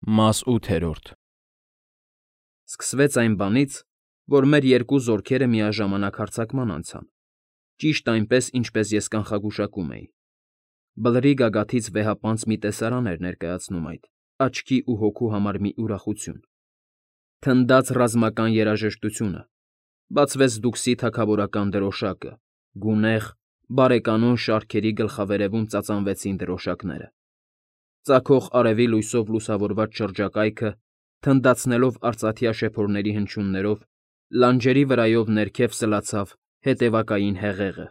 Մաս 8-րդ Սկսվեց այն բանից, որ մեր երկու զորքերը միաժամանակ հարձակման անցան, ճիշտ այնպես, ինչպես ես կանխագուշակում էի. բլրի գագաթից վեհապանծ մի տեսարան էր ներկայացնում այդ, աչքի ու հոգու համար մի ուրախություն, թնդաց ռազմական երաժշտությունը, բացվեց դուքսի թագավորական դրոշակը, գունեղ, բարեկանոն շարքերի գլխավերևում ծածանվեցին դրոշակները, ծագող արևի լույսով լուսավորված շրջակայքը, թնդացնելով արծաթյա շեփորների հնչյուններով, լանջերի վրայով ներքև սլացավ հետևակային հեղեղը,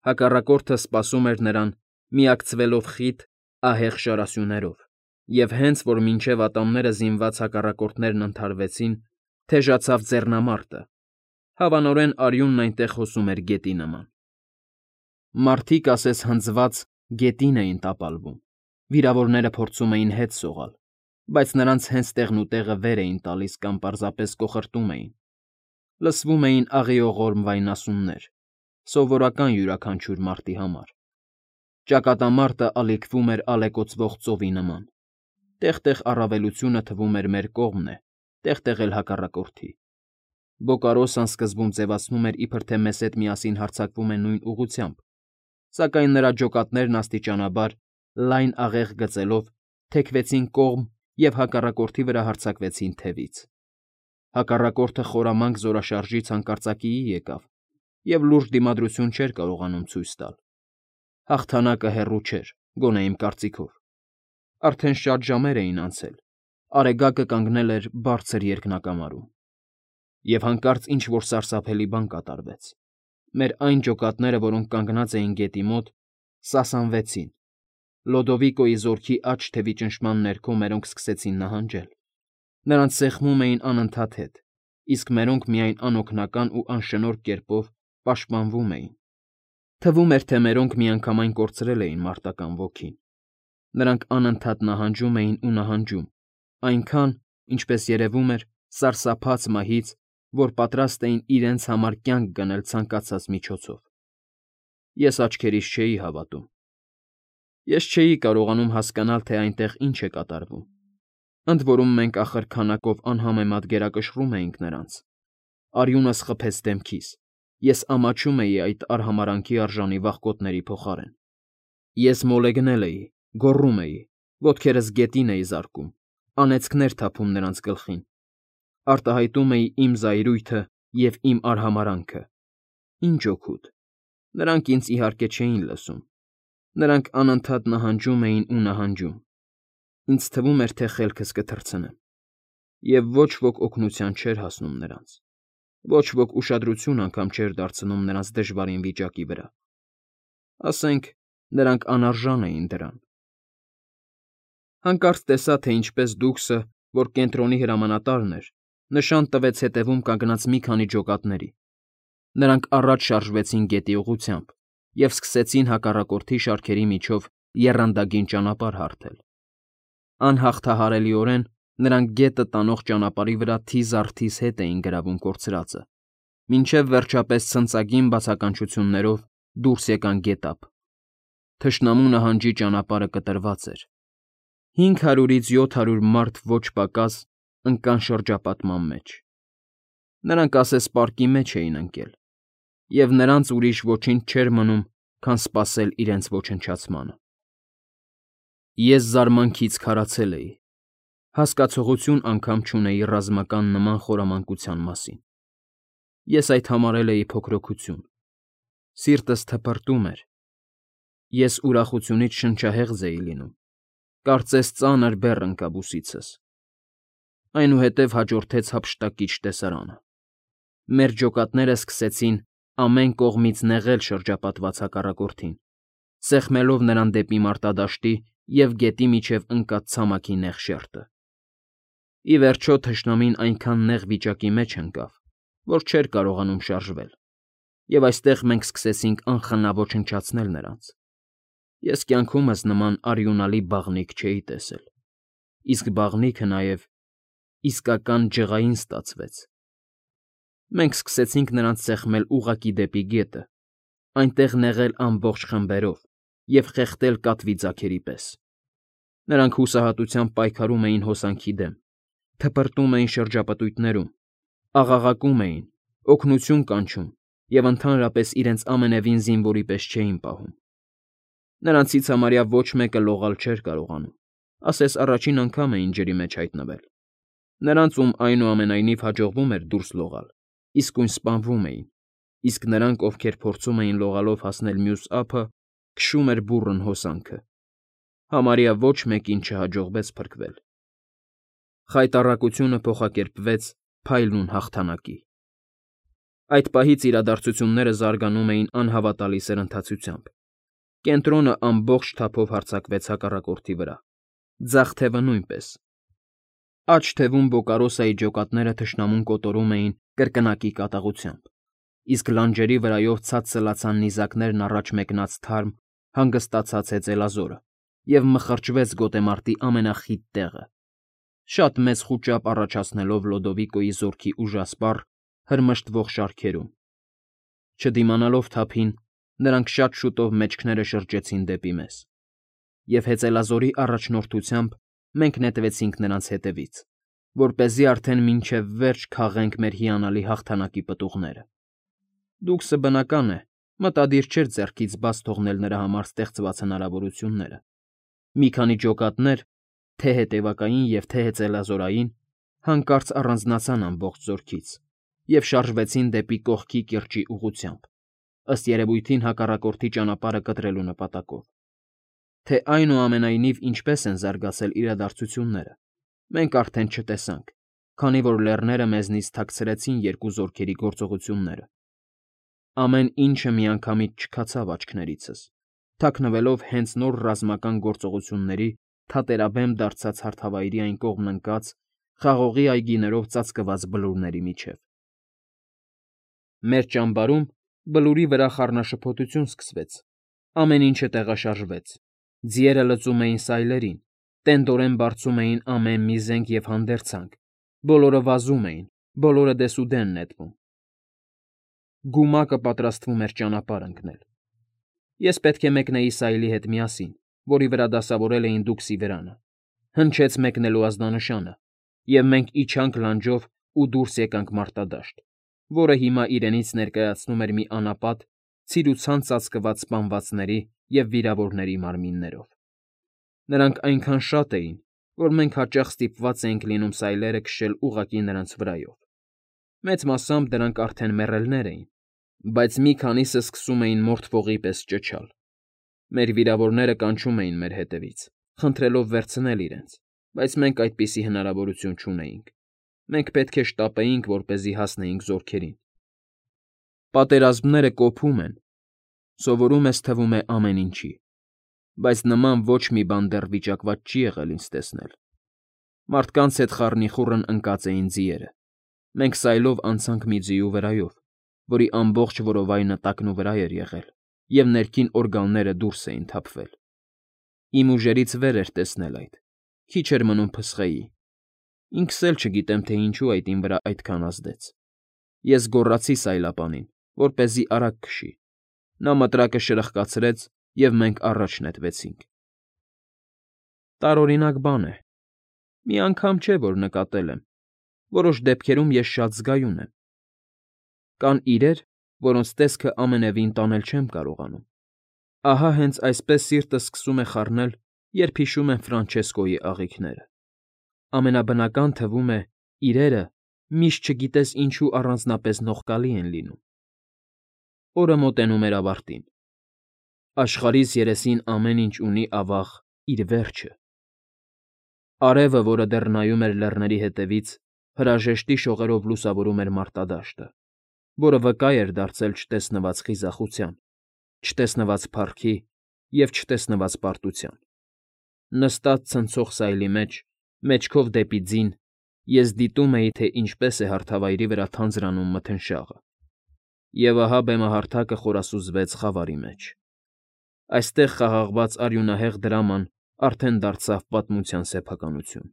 հակառակորդը սպասում էր նրան, միակցվելով խիտ, ահեղ շարասյուներով, և հենց որ մինչև ատամները զինված հակառակորդներն ընդհարվեցին, թեժացավ ձեռնամարտը, հավանորեն արյունն այնտեղ հոսում էր գետի նման. մարդիկ ասես հնձված գետին էին տապալվում, վիրավորները փորձում էին հետ սողալ, բայց նրանց հենց տեղնուտեղը վեր էին տալիս կամ պարզապես կոխրտում էին, լսվում էին աղիողորմ վայնասուններ, սովորական յուրաքանչյուր մարտի համար, ճակատամարտը ալիքվում էր ալեկոծվող ծովի նման, տեղ֊տեղ առավելությունը թվում էր մեր կողմն է, տեղ֊տեղ էլ հակառակորդի, Բոկարոսան սկզբում ձևացնում էր, իբր թե մեզ հետ միասին հարձակվում են նույն ուղղությամբ, սակայն նրա ջոկատներն աստիճանաբար, լայն աղեղ գծելով, թեքվեցին կողմ և հակառակորդի վրա հարձակվեցին թևից, հակառակորդը խորամանկ զորաշարժից հանկարծակիի եկավ և լուրջ դիմադրություն չէր կարողանում ցույց տալ, հաղթանակը հեռու չէր, գոնե իմ կարծիքով, արդեն շատ ժամեր էին անցել, Արեգակը կանգնել էր բարձր երկնակամարում, և հանկարծ ինչ֊որ սարսափելի բան կատարվեց, մեր այն ջոկատները, որոնք կանգնած էին գետի մոտ, սասանվեցին, Լոդովիկոյի զորքի աջ թևի ճնշման ներքո մերոնք սկսեցին նահանջել, նրանց սեղմում էին անընդհատ հետ, իսկ մերոնք միայն անօգնական ու անշնորհք կերպով պաշտպանվում էին, թվում էր, թե մերոնք միանգամայն կորցրել էին մարտական ոգին, նրանք անընդհատ նահանջում էին ու նահանջում, այնքան, ինչպես երևում էր, սարսափած մահից, որ պատրաստ էին իրենց համար կյանք գնել ցանկացած միջոցով, ես աչքերիս չէի հավատում, ես չէի կարողանում հասկանալ, թե այնտեղ ինչ է կատարվում, ընդ որում մենք ախր քանակով անհամեմատ գերակշռում էինք նրանց, արյունս խփեց դեմքիս, ես ամաչում էի այդ արհամարհանքի արժանի վախկոտների փոխարեն, ես մոլեգնել էի, գոռում էի, ոտքերս գետին էի զարկում, անեծքներ թափում նրանց գլխին, արտահայտում էի իմ զայրույթը և իմ արհամարհանքը, ինչ օգուտ, նրանք ինձ իհարկե չէին լսում, նրանք անընդհատ նահանջում էին ու նահանջում, ինձ թվում էր, թե խելքս կթռցնեմ, և ոչ ոք օգնության չէր հասնում նրանց, ոչ ոք ուշադրություն անգամ չէր դարձնում նրանց դժվարին վիճակի վրա, ասենք, նրանք անարժան էին դրան, հանկարծ տեսա, թե ինչպես դուքսը, որ կենտրոնի հրամանատարն էր, նշան տվեց հետևում կանգնած մի քանի ջոկատների, նրանք առաջ շարժվեցին գետի ուղղությամբ և սկսեցին հակառակորդի շարքերի միջով եռանդագին ճանապարհ հարթել, անհաղթահարելիորեն նրանք գետը տանող ճանապարհի վրա թիզ առ թիզ հետ էին գրավում կորցրածը, մինչև վերջապես ցնծագին բացականչություններով դուրս եկան գետափ, թշնամու նահանջի ճանապարհը կտրված էր, 500-ից 700 մարդ ոչ պակաս ընկան շրջապատման մեջ, նրանք ասես պարկի մեջ էին ընկել, և նրանց ուրիշ ոչինչ չէր մնում, քան սպասել իրենց ոչնչացմանը, ես զարմանքից քարացել էի, հասկացողություն անգամ չունեի ռազմական նման խորամանկության մասին, ես այդ համարել էի փոքրոքություն, սիրտս թպրտում էր, ես ուրախությունից շնչահեղձ էի լինում, կարծես ծանր բեռ ընկավ ուսիցս, այնուհետև հաջորդեց հափշտակիչ տեսարանը, մեր ջոկատները սկսեցին ամեն կողմից նեղել շրջապատված հակառակորդին, սեղմելով նրան դեպի մարտադաշտի և գետի միջև ընկած ցամաքի նեղ շերտը, ի վերջո թշնամին այնքան նեղ վիճակի մեջ ընկավ, որ չէր կարողանում շարժվել, և այստեղ մենք սկսեցինք անխնա ոչնչացնել նրանց, ես կյանքումս նման արյունալի բաղնիք չէի տեսել, իսկ բաղնիքը նաև իսկական ջղային ստացվեց, մենք սկսեցինք նրանց սեղմել ուղղակի դեպի գետը, այնտեղ նեղել ամբողջ խմբերով և խեղդել կատվի ձագերի պես, Նրանք հուսահատությամբ պայքարում էին հոսանքի դեմ, թպրտում էին շրջապտույտներում, աղաղակում էին, օգնություն կանչում և ընդհանրապես իրենց ամենևին զինվորի պես չէին պահում։ Նրանցից համարյա ոչ մեկը լողալ չէր կարողանում, ասես առաջին անգամ էին ջրի մեջ հայտնվել։ Նրանց, ում այնուամենայնիվ հաջողվում էր դուրս լողալ, իսկույն սպանվում էին, իսկ նրանք, ովքեր փորձում էին լողալով հասնել մյուս ափը, քշում էր բուռն հոսանքը։ Համարյա ոչ մեկին չհաջողվեց փրկվել։ Խայտառակությունը փոխակերպվեց փայլուն հաղթանակի։ Այդ պահից իրադարձությունները զարգանում էին անհավատալի սրընթացությամբ։ Կենտրոնը ամբողջ թափով հարձակվեց հակառակորդի վրա, ձախ թևը նույնպես։ Աջ թևում Բոկարոսայի ջոկատները թշնամուն կոտորում էին կրկնակի կատաղությամբ, իսկ լանջերի վրայով ցած սլացան նիզակներն առաջ մեկնած թարմ, հանգստացած հեծելազորը և մխրճվեց գոտեմարտի ամենախիտ տեղը, շատ մեծ խուճապ առաջացնելով Լոդովիկոյի զորքի ուժասպառ, հրմշտվող շարքերում։ Չդիմանալով թափին, նրանք շատ շուտով մեջքները շրջեցին դեպի մեզ, և հեծելազորի առաջնորդությամբ մենք նետվեցինք նրանց հետևից, որպեսզի արդեն մինչև վերջ քաղենք մեր հիանալի հաղթանակի պտուղները։ Դուքսը, բնական է, մտադիր չէր ձեռքից բաց թողնել նրա համար ստեղծված հնարավորությունները։ Մի քանի ջոկատներ, թե հետևակային և թե հեծելազորային, հանկարծ առանձնացան ամբողջ զորքից և շարժվեցին դեպի կողքի կիրճի ուղղությամբ, ըստ երևույթին հակառակորդի ճանապարհը կտրելու նպատակով։ Թե այնուամենայնիվ ինչպես են զարգացել իրադարձությունները, մենք արդեն չտեսանք, քանի որ լեռները մեզնից թաքցրեցին երկու զորքերի գործողությունները։ Ամեն ինչը միանգամից չքացավ աչքներիցս, թաքնվելով հենց նոր ռազմական գործողությունների թատերաբեմ դարձած հարթավայրի այն կողմն ընկած, խաղողի այգիներով ծածկված բլուրների միջև։ Մեր ճամբարում բլուրի վրա խառնաշփոթություն սկսվեց, ամեն ինչը տեղաշարժվեց, ձիերը լծում էին սայլերին, տենդորեն բարձում էին ամեն մի զենք և հանդերձանք, բոլորը վազում էին, բոլորը դեսուդեն նետվում։ Գումակը պատրաստվում էր ճանապարհ ընկնել։ Ես պետք է մեկնեի սայլի հետ միասին, որի վրա դասավորել էին դուքսի վրանը, հնչեց մեկնելու ազդանշանը, և մենք իջանք լանջով ու դուրս եկանք մարտադաշտ, որը հիմա իրենից ներկայացնում էր մի անապատ, ցիրուցան ծածկված սպանվածների և վիրավորների մարմիններով։ Նրանք այնքան շատ էին, որ մենք հաճախ ստիպված էինք լինում սայլերը քշել ուղղակի նրանց վրայով։ Մեծ մասամբ դրանք արդեն մեռելներ էին, բայց մի քանիսը սկսում էին մորթվողի պես ճչալ։ Մեր վիրավորները կանչում էին մեր հետևից, խնդրելով վերցնել իրենց, բայց մենք այդպիսի հնարավորություն չունեինք։ Մենք պետք է շտապեինք, որպեսզի հասնեինք զորքերին։ Պատերազմները կոփում են, սովորում ես թվում է ամեն ինչի, բայց նման ոչ մի բան դեռ վիճակված չի եղել ինձ տեսնել։ Մարդկանց հետ խառնիխուռն ընկած էին ձիերը։ Մենք սայլով անցանք մի ձիու վրայով, որի ամբողջ որովայնը տակնուվրա էր եղել, և ներքին օրգանները դուրս էին թափվել։ Իմ ուժերից վեր էր տեսնել այդ, քիչ էր մնում փսխեի։ Ինքս էլ չգիտեմ, թե ինչու այդ իմ վրա այդքան ազդեց։ Ես գոռացի սայլապանին, որպեսզի արագ քշի։ Նա մտրակը շրխկացրեց, և մենք առաջ նետվեցինք։ Տարօրինակ բան է։ Մի անգամ չէ, որ նկատել եմ, որոշ դեպքերում ես շատ զգայուն եմ։ Կան իրեր, որոնց տեսքը ամենևին տանել չեմ կարողանում։ Ահա հենց այսպես սիրտս սկսում է խառնել, երբ հիշում եմ Ֆրանչեսկոյի աղիքները։ Ամենաբնական թվում է, իրերը միշտ չգիտես ինչու առանձնապես նողկալի են լինում։ Օրը մոտենում էր ավարտին։ Աշխարհիս երեսին ամեն ինչ ունի, ավաղ, իր վերջը։ Արևը, որը դեռ նայում էր լեռների ետևից, հրաժեշտի շողերով լուսավորում էր մարտադաշտը, որը վկա էր դարձել չտեսնված խիզախության, չտեսնված փառքի և չտեսնված պարտության։ Նստած ցնցող սայլի մեջ, մեջքով դեպի ձին, ես դիտում էի, թե ինչպես է հարթավայրի վրա թանձրանում մթնշաղը։ Եվ ահա բեմահարթակը խորասուզվեց խավարի մեջ։ Այստեղ խաղաղված արյունահեղ դրաման արդեն դարձավ պատմության սեփականություն։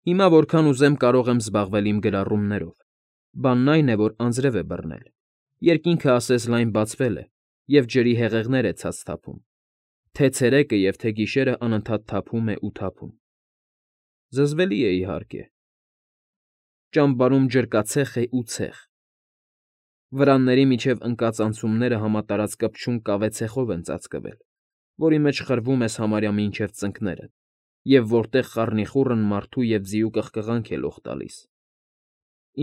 Հիմա որքան ուզեմ կարող եմ զբաղվել իմ գրառումներով։ Բանն այն է, որ անձրև է բռնել, երկինքը ասես լայն բացվել է, և ջրի հեղեղներ է ցած թափում։ Թե ցերեկը և թե գիշերը անընդհատ թափում է ու թափում։ Զզվելի է, իհարկե։ Ճամբարում ջրկացեղ է ու ցեխ։ Վրանների միջև ընկած անցումները համատարած կպչուն կավե ցեխով են ծածկվել, որի մեջ խրվում ես համարյա մինչև ծնկներդ, և որտեղ խառնիխուռն մարդու և ձիու կղկղանք է լող տալիս։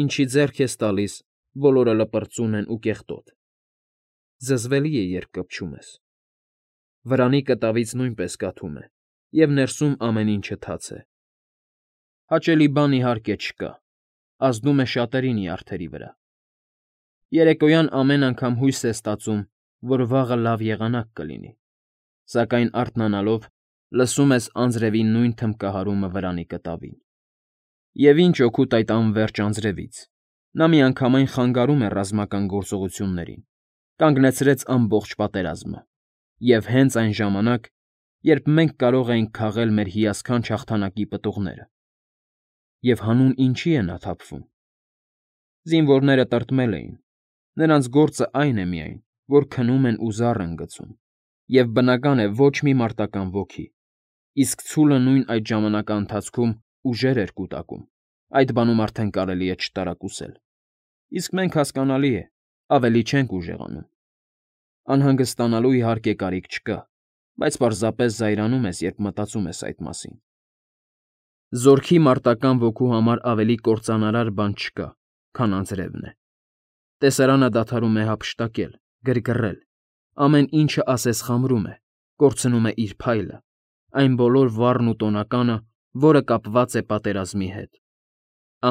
Ինչի ձեռք ես տալիս, բոլորը լպրծուն են ու կեղտոտ։ Զզվելի է, երբ կպչում ես։ Վրանի կտավից նույնպես կաթում է, և ներսում ամեն ինչը թաց է։ Հաճելի բան, իհարկե, չկա, ազդում է շատերի նյարդերի վրա։ Երեկոյան ամեն անգամ հույս ես ստացում, որ վաղը լավ եղանակ կլինի, սակայն արթնանալով լսում ես անձրևի նույն թմբկահարումը վրանի կտավին։ Եվ ինչ օգուտ այդ անվերջ անձրևից, նա միանգամայն խանգարում է ռազմական գործողություններին, կանգնեցրեց ամբողջ պատերազմը, և հենց այն ժամանակ, երբ մենք կարող էինք քաղել մեր հիասքանչ հաղթանակի պտուղները։ Եվ հանուն ինչի է նա թափվում։ Զինվորները տրտմել էին, նրանց գործը այն է միայն, որ քնում են ու զառ են գցում, և բնական է ոչ մի մարտական ոգի, իսկ ցուլը նույն այդ ժամանակաընթացքում ուժեր էր կուտակում, այդ բանում արդեն կարելի է չտարակուսել։ Իսկ մենք, հասկանալի է, ավելի չենք ուժեղանում։ Անհանգստանալու, իհարկե, կարիք չկա, բայց պարզապես զայրանում ես, երբ մտածում ես այդ մասին։ Զորքի մարտական ոգու համար ավելի կործանարար բան չկա, քան անձրևն է։ Տեսարանը դադարում է հափշտակել, գրգռել, ամեն ինչը ասես խամրում է, կորցնում է իր փայլը, այն բոլոր վառն ու տոնականը, որը կապված է պատերազմի հետ։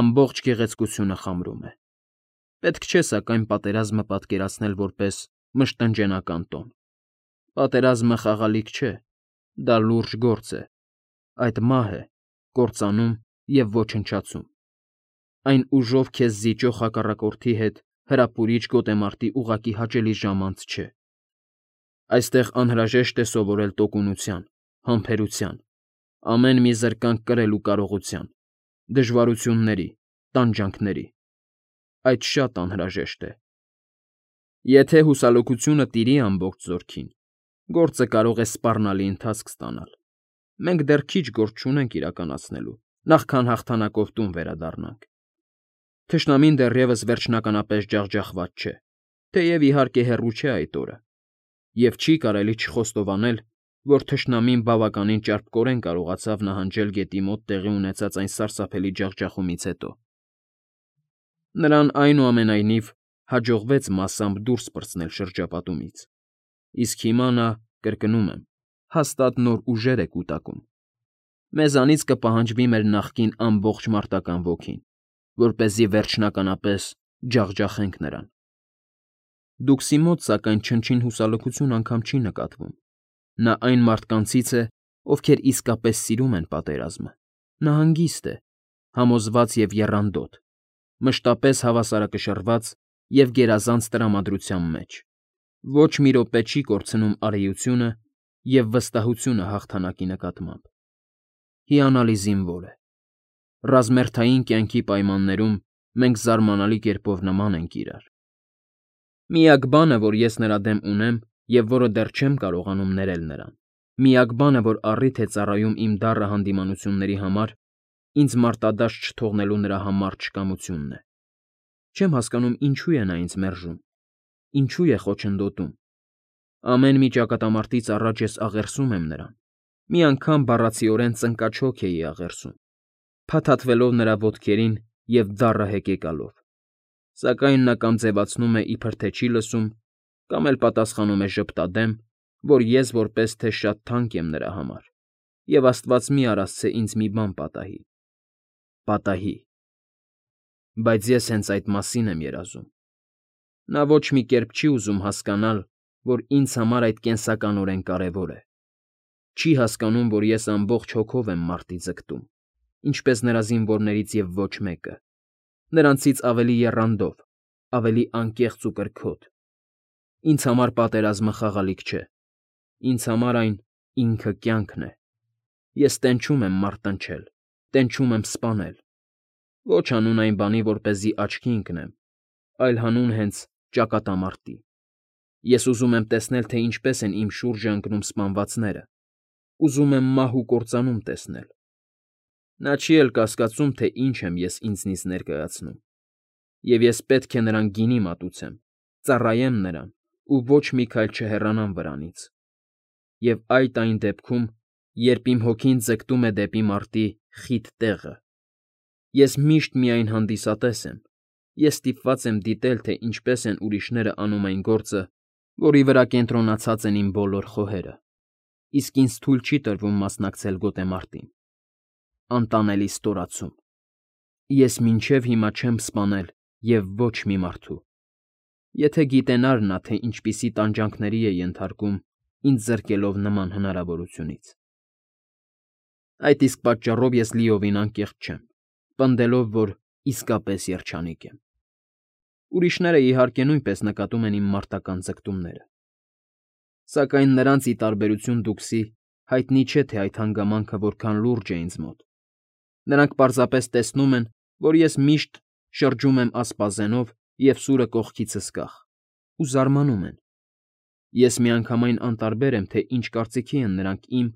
Ամբողջ գեղեցկությունը խամրում է։ Պետք չէ, սակայն, պատերազմը պատկերացնել որպես մշտնջենական տոն։ Պատերազմը խաղալիք չէ, դա լուրջ գործ է, այդ մահ է, կործանում և ոչնչացում։ Այն ուժով քեզ զիջող հակառակորդի հետ հրապուրիչ գոտեմարտի ուղղակի հաճելի ժամանց չէ։ Այստեղ անհրաժեշտ է սովորել տոկունության, համբերության, ամեն մի զրկանք կրելու կարողության, դժվարությունների, տանջանքների։ Այդ շատ անհրաժեշտ է։ Եթե հուսալոքությունը տիրի ամբողջ զորքին, գործը կարող է սպառնալի ընթացք ստանալ։ Մենք դեռ քիչ գործ չունենք իրականացնելու, նախքան հաղթանակով տուն վերադառնանք։ Թշնամին դեռևս վերջնականապես ջախջախված չէ, թեև, իհարկե, հեռու չէ այդ օրը, և չի կարելի չխոստովանել, որ թշնամին բավականին ճարպկորեն կարողացավ նահանջել գետի մոտ տեղի ունեցած այն սարսափելի ջախջախումից հետո։ Նրան, այնուամենայնիվ, հաջողվեց մասամբ դուրս պրծնել շրջապատումից, իսկ հիմա նա, կրկնում եմ, հաստատ նոր ուժեր է կուտակում։ Մեզանից կպահանջվի մեր նախկին ամբողջ մարտական ոգին, որպեսզի վերջնականապես ջախջախենք նրան։ Դուքսի մոտ, սակայն, չնչին հուսալքություն անգամ չի նկատվում։ Նա այն մարդկանցից է, ովքեր իսկապես սիրում են պատերազմը։ Նա հանգիստ է, համոզված և եռանդոտ, մշտապես հավասարակշռված և գերազանց տրամադրության մեջ, ոչ մի րոպե չի կորցնում արիությունը և վստահությունը հաղթանակի նկատմամբ։ Հիանալի զինվոր է։ Ռազմերթային կյանքի պայմաններում մենք զարմանալի կերպով նման ենք իրար։ Միակ բանը, որ ես նրա դեմ ունեմ և որը դեռ չեմ կարողանում ներել նրան, միակ բանը, որ առիթ է ծառայում իմ դառը հանդիմանությունների համար, ինձ մարտադաշտ չթողնելու նրա համառ չկամությունն է։ Չեմ հասկանում, ինչու է նա ինձ մերժում, ինչու է խոչընդոտում։ Ամեն մի ճակատամարտից առաջ ես աղերսում եմ նրան, մի անգամ բառացիորեն ծնկաչոք էի աղերսում, փաթաթվելով նրա ոտքերին և դառը հեկեկալով, սակայն նա կամ ձևացնում է, իբր թե չի լսում, կամ էլ պատասխանում է ժպտադեմ, որ ես որպես թե շատ թանկ եմ նրա համար, և աստված մի արասցե ինձ մի բան պատահի։ Պատահի։ Բայց ես հենց այդ մասին եմ երազում։ Նա ոչ մի կերպ չի ուզում հասկանալ, որ ինձ համար այդ կենսականորեն կարևոր է։ Չի հասկանում, որ ես ամբողջ հոգով եմ մարտի ձգտում, ինչպես նրա զինվորներից և ոչ մեկը, նրանցից ավելի եռանդով, ավելի անկեղծ ու կրքոտ։ Ինձ համար պատերազմը խաղալիք չէ։ Ինձ համար այն ինքը կյանքն է։ Ես տենչում եմ մարտնչել, տենչում եմ սպանել։ Ոչ հանուն այն բանի, որպեսզի աչքի ընկնեմ, այլ հանուն հենց ճակատամարտի։ Ես ուզում եմ տեսնել, թե ինչպես են իմ շուրջը ընկնում սպանվածները, ուզում եմ մահ ու կործանում տեսնել։ Նա չի էլ կասկածում, թե ինչ եմ ես ինձնից ներկայացնում, և ես պետք է նրան գինի մատուցեմ, ծառայեմ նրան ու ոչ մի քայլ չհեռանամ վրանից։ Եվ այդ այն դեպքում, երբ իմ հոգին ձգտում է դեպի մարտի խիտ տեղը, ես միշտ միայն հանդիսատես եմ, ես ստիպված եմ դիտել, թե ինչպես են ուրիշները անում այն գործը, որի վրա կենտրոնացած են իմ բոլոր խոհերը, իսկ ինձ թույլ չի տրվում մասնակցել գոտեմարտին։ Անտանելի ստորացում։ Ես մինչև հիմա չեմ սպանել և ոչ մի մարդու։ Եթե գիտենար նա, թե ինչպիսի տանջանքների է ենթարկում ինձ զրկելով նման հնարավորությունից։ Այդ իսկ պատճառով ես լիովին անկեղծ չեմ, պնդելով, որ իսկապես երջանիկ եմ։ Ուրիշները, իհարկե, նույնպես նկատում են իմ մարտական ձգտումները։ Սակայն նրանց, ի տարբերություն դուքսի, հայտնի չէ, թե այդ հանգամանքը որքան լուրջ է ինձ մոտ։ Նրանք պարզապես տեսնում են, որ ես միշտ շրջում եմ ասպազենով և սուրը կողքիցս կախ, ու զարմանում են։ Ես միանգամայն անտարբեր եմ, թե ինչ կարծիքի են նրանք իմ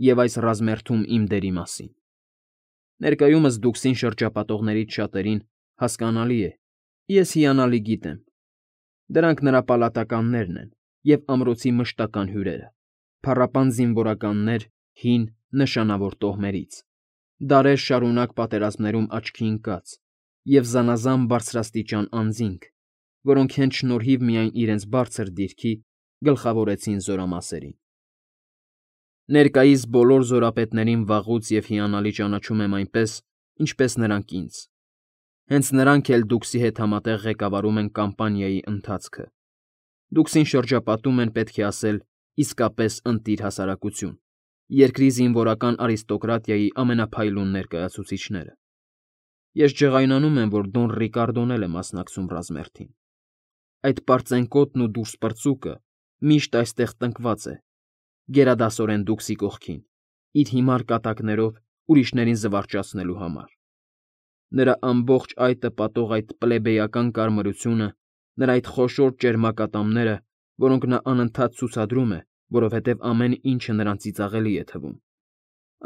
և այս ռազմերթում իմ դերի մասին։ Ներկայումս դուքսին շրջապատողներից շատերին հասկանալի է, ես հիանալի գիտեմ։ Դրանք նրա պալատականներն են և ամրոցի մշտական հյուրերը, փառապան զինվորականներ հին, նշանավոր տոհմերից, դարեր շարունակ պատերազմներում աչքի ընկած և զանազան բարձրաստիճան անձինք, որոնք հենց շնորհիվ միայն իրենց բարձր դիրքի գլխավորեցին զորամասերին։ Ներկայիս բոլոր զորապետներին վաղուց և հիանալի ճանաչում եմ այնպես, ինչպես նրանք ինձ։ Հենց նրանք էլ դուքսի հետ համատեղ ղեկավարում են կամպանիայի ընթացքը։ Դուքսին շրջապատում են, պետք է ասել, իսկապես ընտիր հասարակություն, երկրի զինվորական արիստոկրատիայի ամենափայլուն ներկայացուցիչները։ Ես ջղայնանում եմ, որ Դոն Ռիկարդոն էլ է մասնակցում ռազմերթին։ Այդ պարծենկոտն ու դուրսպրծուկը միշտ այստեղ տնկված է, գերադասորեն դուքսի կողքին, իր հիմար կատակներով ուրիշներին զվարճացնելու համար։ Նրա ամբողջ այտը պատող այդ պլեբեյական կարմրությունը, նրա այդ խոշոր ճերմակատամները, որոնք նա անընդհատ ցուցադրում է, որովհետև ամեն ինչը նրան ծիծաղելի է թվում,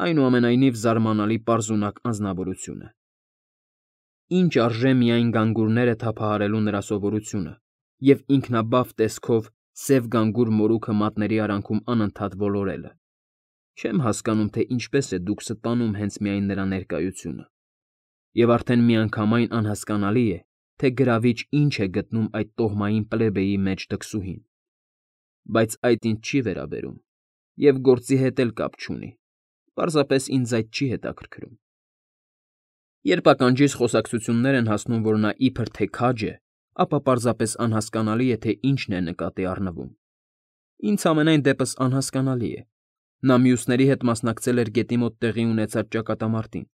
այնուամենայնիվ զարմանալի պարզունակ անձնավորություն է։ Ինչ արժե միայն գանգուրները թափահարելու նրա սովորությունը և ինքնաբավ տեսքով սև գանգուր մորուքը մատների արանքում անընդհատ ոլորելը։ Չեմ հասկանում, թե ինչպես է դուքսը տանում հենց միայն նրա ներկայությունը։ Եվ արդեն միանգամայն անհասկանալի է, թե գրավիչ ինչ է գտնում այդ տոհմային պլեբեի մեջ դքսուհին։ Բայց այդ ինձ չի վերաբերում և գործի հետ էլ կապ չունի, պարզապես ինձ այդ չի հետաքրքրում։ Երբ ականջիս խոսակցություններ են հասնում, որ նա իբր թե քաջ է, ապա պարզապես անհասկանալի է, թե ինչն է նկատի առնվում։ Ինձ համենայն դեպս անհասկանալի է։ Նա մյուսների հետ մասնակցել էր գետի մոտ տեղի ունեցած ճակատամարտին,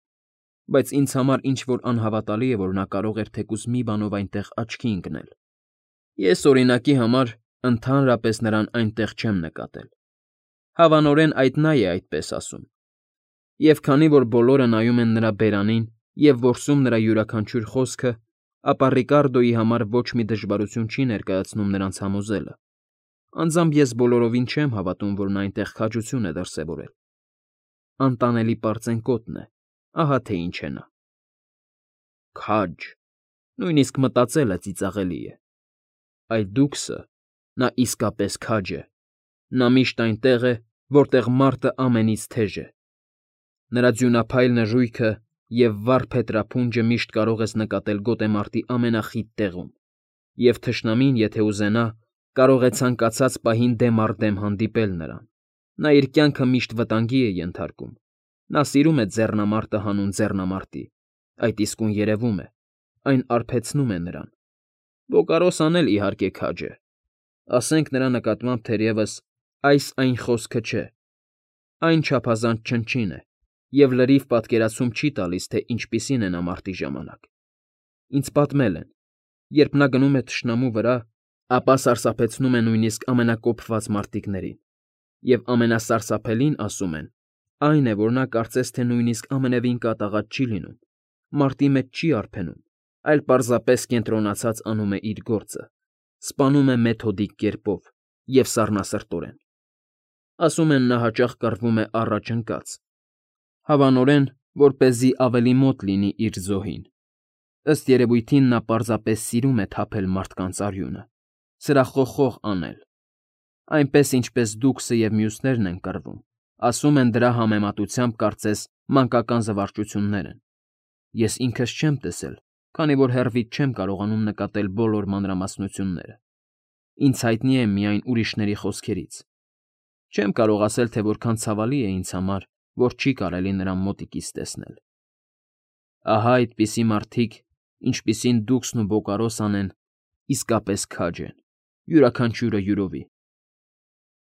բայց ինձ համար ինչ֊որ անհավատալի է, որ նա կարող էր թեկուզ մի բանով այնտեղ աչքի ընկնել։ Ես, օրինակի համար, ընդհանրապես նրան այնտեղ չեմ նկատել։ Հավանորեն այդ նա է այդպես ասում։ Եվ քանի որ բոլորը նայում են նրա բերանին և որսում նրա յուրաքանչյուր խոսքը, ապա Ռիկարդոյի համար ոչ մի դժվարություն չի ներկայացնում նրանց համոզելը։ Անձամբ ես բոլորովին չեմ հավատում, որ նա այնտեղ քաջություն է դրսևորել։ Անտանելի պարծենկոտն է, ահա թե ինչ է նա։ Քաջ, նույնիսկ մտածելը ծիծաղելի է։ Այլ դուքսը, նա իսկապես քաջ է։ Նա միշտ այնտեղ է, որտեղ մարտը ամենից թեժ է։ Նրա ձյունափայլ նժույգը և վառ փետրափունջը միշտ կարող ես նկատել գոտեմարտի ամենախիտ տեղում, և թշնամին, եթե ուզենա, կարող է ցանկացած պահին դեմ առ դեմ հանդիպել նրան։ Նա իր կյանքը միշտ վտանգի է ենթարկում։ Նա սիրում է ձեռնամարտը հանուն ձեռնամարտի, այդ իսկույն երևում է, այն արբեցնում է նրան։ Բոկարոսան էլ, իհարկե, քաջ է։ Ասենք նրա նկատմամբ թերևս այս֊այն խոսքը չէ, այն չափազանց չնչին է և լրիվ պատկերացում չի տալիս, թե ինչպիսին է նա մարտի ժամանակ։ Ինձ պատմել են, երբ նա գնում է թշնամու վրա, ապա սարսափեցնում է նույնիսկ ամենակոփված մարտիկներին, և ամենասարսափելին, ասում են, այն է, որ նա կարծես թե նույնիսկ ամենևին կատաղած չի լինում, մարտի մեջ չի արբենում, այլ պարզապես կենտրոնացած անում է իր գործը, Սպանում է մեթոդիկ կերպով և սառնասրտորեն։ Ասում են, նա հաճախ կռվում է առաջ ընկած, հավանորեն, որպեսզի ավելի մոտ լինի իր զոհին։ Ըստ երևույթին նա պարզապես սիրում է թափել մարդկանց արյունը, սրախոխող անել, այնպես, ինչպես դուքսը և մյուսներն են կռվում, ասում են դրա համեմատությամբ կարծես մանկական զվարճություններ են։ Ես ինքս չեմ տեսել, քանի որ հեռվից չեմ կարողանում նկատել բոլոր մանրամասնությունները, ինձ հայտնի է միայն ուրիշների խոսքերից։ Չեմ կարող ասել, թե որքան ցավալի է ինձ համար, որ չի կարելի նրան մոտիկից տեսնել։ Ահա այդպիսի մարդիկ, ինչպիսին դուքսն ու Բոկարոսն են, իսկապես քաջ են, յուրաքանչյուրը յուրովի։